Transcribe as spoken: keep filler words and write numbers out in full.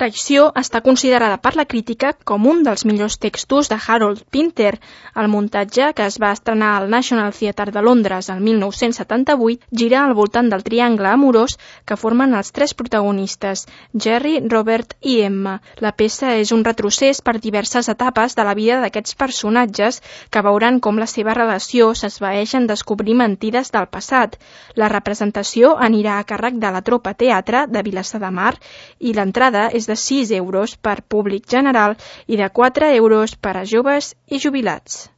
Traïció està considerada per la crítica com un dels millors textos de Harold Pinter. El muntatge, que es va estrenar al National Theatre de Londres el mil nou-cents setanta-vuit, gira al voltant del triangle amorós que formen els tres protagonistes, Jerry, Robert i Emma. La peça és un retrocés per diverses etapes de la vida d'aquests personatges que veuran com la seva relació s'esvaeix en descobrir mentides del passat. La representació anirà a càrrec de la Tropa Teatre de Vilassar de Mar i l'entrada és de sis euros per públic general i de quatre euros per a joves i jubilats.